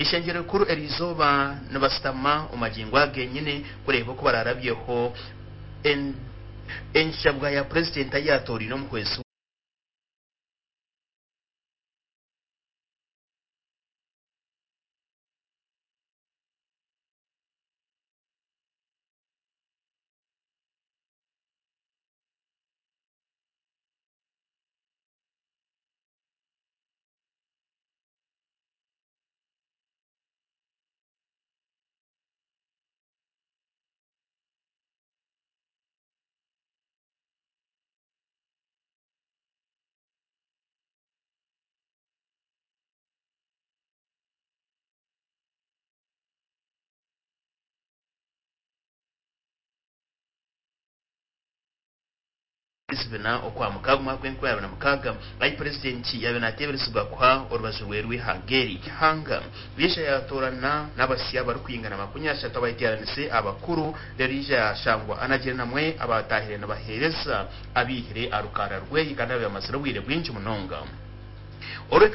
Ishengyero rikuru eriizooba nibashutama omu magingo aga genyine kureeba oku bararabyeho enshabwa ya purezidenti ahu yaatooriine omuhwezi zibina okwa mukaaga omwaka gw'enkumi 2006 ahi purezidenti yaabaire naateeberezibwa kuha orubaju rwe rw'eihanga eri. Ihanga riija yaatoorana n'abasya barikwingana 30 abayeteeranise abakuru reero yaija yaashangwa anagire namwe abaataahire nibaheereza abaihire aha rukaara rweye kandi abaamazire obwire bwingi munonga.